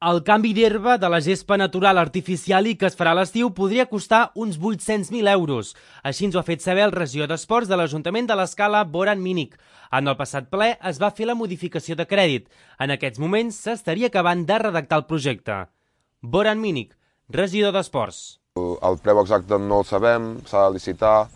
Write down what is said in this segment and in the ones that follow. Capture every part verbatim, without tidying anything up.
El canvi d'herba de la gespa natural artificial i que es farà a l'estiu podria costar uns vuit-cents mil euros. Així ens ho ha fet saber el regidor d'Esports de l'Ajuntament de l'Escala, Boran Minic. En el passat ple es va fer la modificació de crèdit. En aquests moments s'estaria acabant de redactar el projecte. Boran Minic, regidor d'Esports. El preu exacte no el sabem, s'ha de licitar,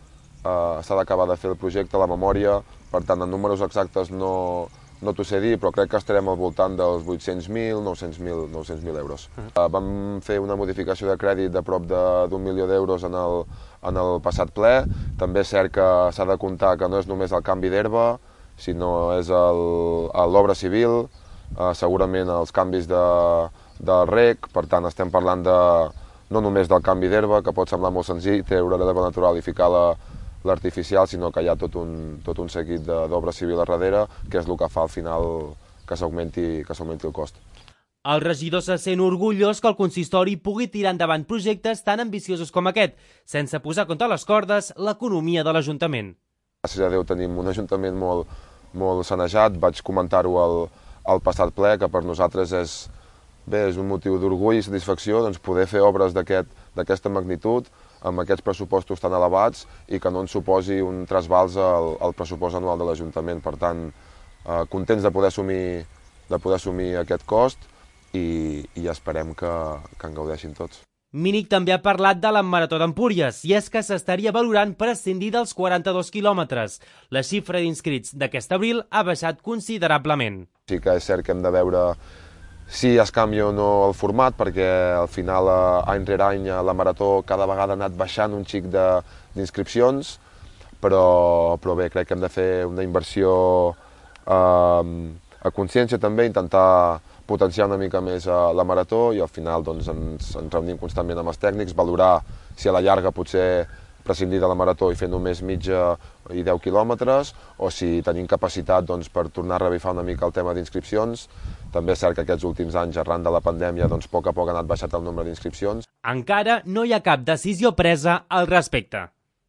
eh, s'ha d'acabar de fer el projecte, la memòria, per tant, en números exactes no... No t'ho sé dir, però crec que estarem al voltant dels vuit-cents mil, nou-cents mil euros. Uh -huh. Vam fer una modificació de crèdit de prop d'un milió d'euros en, el, en el passat ple. També és cert que s'ha de comptar que no és només el canvi d'herba, sinó és l'obra civil, eh, segurament els canvis de, de rec, per tant estem parlant de, no només del canvi d'herba, que pot semblar molt senzill, treure l'herba natural i ficar la l'artificial, sinó que hi ha tot un, tot un seguit d'obra civil a darrere, que és el que fa al final que s'augmenti que s'augmenti el cost. El regidor se sent orgullós que el consistori pugui tirar endavant projectes tan ambiciosos com aquest, sense posar contra les cordes l'economia de l'Ajuntament. Gràcies a Déu tenim un Ajuntament molt, molt sanejat. Vaig comentar-ho al, al passat ple, que per nosaltres és, bé, és un motiu d'orgull i satisfacció doncs, poder fer obres d'aquesta magnitud, amb aquests pressupostos tan elevats i que no ens suposi un trasbals al, al pressupost anual de l'Ajuntament. Per tant, eh, contents de poder assumir, de poder assumir aquest cost i, i esperem que, que en gaudeixin tots. Minic també ha parlat de la Marató d'Empúries i és que s'estaria valorant prescindir dels quaranta-dos quilòmetres. La xifra d'inscrits d'aquest abril ha baixat considerablement. Sí que és cert que hem de veure si es canvia o no el format, perquè al final, any rere any, la Marató cada vegada ha anat baixant un xic d'inscripcions, però, però bé, crec que hem de fer una inversió eh, a consciència també, intentar potenciar una mica més la Marató i al final doncs, ens, ens reunim constantment amb els tècnics, valorar si a la llarga potser prescindir de la Marató i fer només mitja i deu quilòmetres, o si tenim capacitat doncs, per tornar a revifar una mica el tema d'inscripcions. També és cert que aquests últims anys, arran de la pandèmia, doncs, a poc a poc ha anat baixat el nombre d'inscripcions. Encara no hi ha cap decisió presa al respecte.